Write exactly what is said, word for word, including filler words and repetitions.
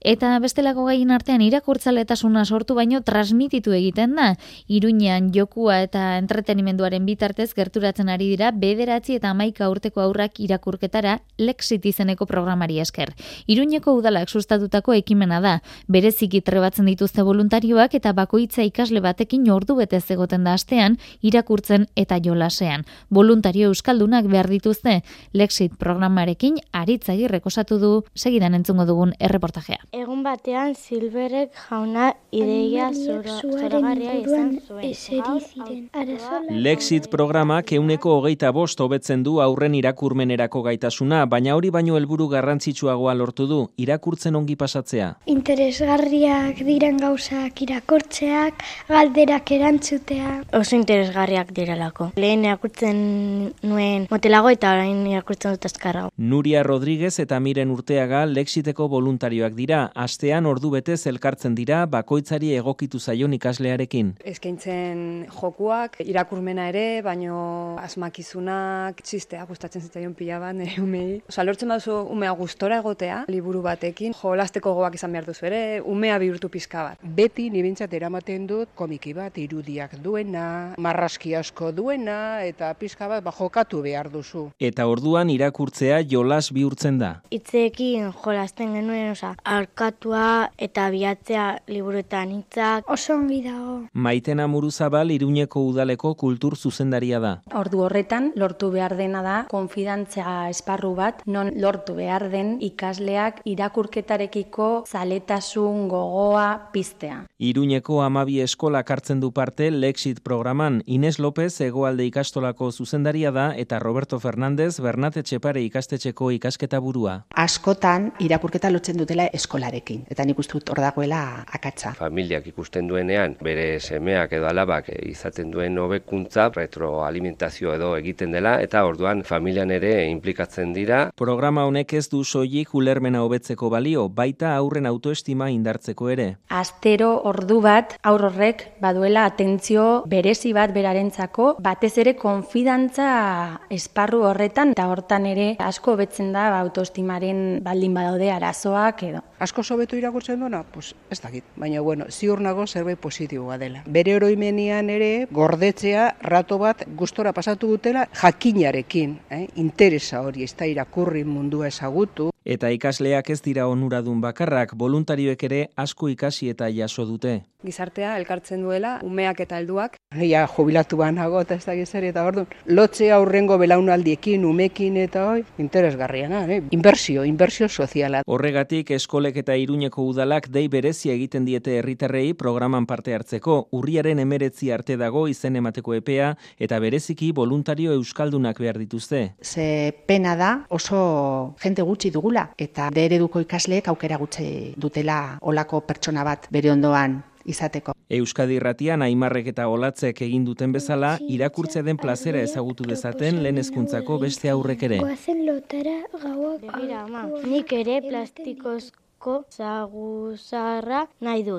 Eta bestelako gaien artean irakurtzaletasuna sortu baino transmititu egiten da. Iruñean jokua eta entretenimenduaren bitartez gerturatzen ari dira bederatzi eta hamaika urteko haurrak irakurketara Lexit izeneko programari esker. Iruñeko udalak sustatutako ekimena da. Bereziki trebatzen dituzte voluntarioak eta bakoitza ikasle batekin ordu betez egoten da astean irakurtzen eta jolasean. Voluntario euskaldunak behar dituzte. Lexit programarekin Aritz Agirrek osatu du segidan entzungo dugun erreportajea. Egun batean Silberek jauna ideia zoragarria izan zuen. Lexit programak ehuneko hogeita bost hobetzen du aurren irakurmenerako gaitasuna, baina hori baino helburu garrantzitsuagoa lortu du, irakurtzen ongi pasatzea. Interesgarriak diren gauzak irakurtzeak, galderak erantzutea. Oso interesgarriak direlako. Lehen irakurtzen nuen motelago eta orain irakurtzen dut azkarrago. Nuria Rodríguez eta Miren Urteaga Lexiteko voluntarioak dira. Astean ordu betez elkartzen dira bakoitzari egokitu zaion ikaslearekin. Eskaintzen jokuak, irakurmena ere, baino asmakizunak, txistea gustatzen zitzaion pila bat nire umei. Osa, lortzen baduzu umea gustora egotea, liburu batekin, jolasteko gogoak izan behar duzu ere, umea bihurtu pizka bat. Beti nibintzat eramaten dut komiki bat, irudiak duena, marraski asko duena, eta pizka bat ba, jokatu behar duzu. Eta orduan irakurtzea jolas bihurtzen da. Hitzeekin jolasten genuen, osa, arkatua eta bilatzea liburuetan hitzak. Oso ongi dago. Maitena Muruzabal Iruñeko udaleko kultur zuzendaria da. Ordu horretan lortu behar dena da konfidantza esparru bat, non lortu behar den ikasleak irakurketarekiko zaletasun gogoa piztea. Iruñeko hamabi eskolak hartzen du parte Lexit programan. Ines López Hegoalde ikastolako zuzendaria da eta Roberto Fernández Bernat Etxepare ikastetxeko ikasketa burua. Askotan irakurketa lotzen dutela eskolarekin, eta nik uste dut hor dagoela akatsa. Familiak ikusten duenean, bere semeak edo alabak izaten duen hobekuntza, retroalimentazio edo egiten dela, eta orduan familian ere inplikatzen dira. Programa honek ez du soilik ulermena hobetzeko balio, baita aurren autoestima indartzeko ere. Astero ordu bat aur horrek baduela atentzio berezi bat berarentzako, batez ere konfidantza esparru horretan, eta hortan ere asko hobetzen da autoestimaren baldin badaude arazoak edo. Asko sobetu irakurtzen duena? Pues ez dakit, baina bueno, ziur nago zerbait positiboa dela. Bere oroimenian ere gordetzea rato bat gustora pasatu dutela jakinarekin, eh? Interesa hori, ez da irakurri mundua ezagutu. Eta ikasleak ez dira onuradun bakarrak, voluntarioek ere asko ikasi eta jaso dute. Gizartea elkartzen duela, umeak eta helduak. Ja, jubilatu banago eta ez da gizari eta orduan. Lotzea aurrengo belaunaldiekin, umekin eta hoi, interesgarriana, eh? Inbertsio, inbertsio soziala. Horregatik eskolek eta Iruñeko udalak dei berezia egiten diete herritarrei programan parte hartzeko, urriaren emeretzi arte dago izen emateko epea eta bereziki voluntario euskaldunak behar dituzte. Ze pena da oso jente gutxi dugula eta de ereduko ikasleek aukera gutxi dutela olako pertsona bat bere ondoan izateko. Euskadi Irratian Aimarrek eta Olatzek egin duten bezala, irakurtzea den plazera ezagutu dezaten lehen hezkuntzako beste aurrek ere. Goazen lotara gauak. Begira, ama, nik ere plastikozko zaguzarra nahi dut.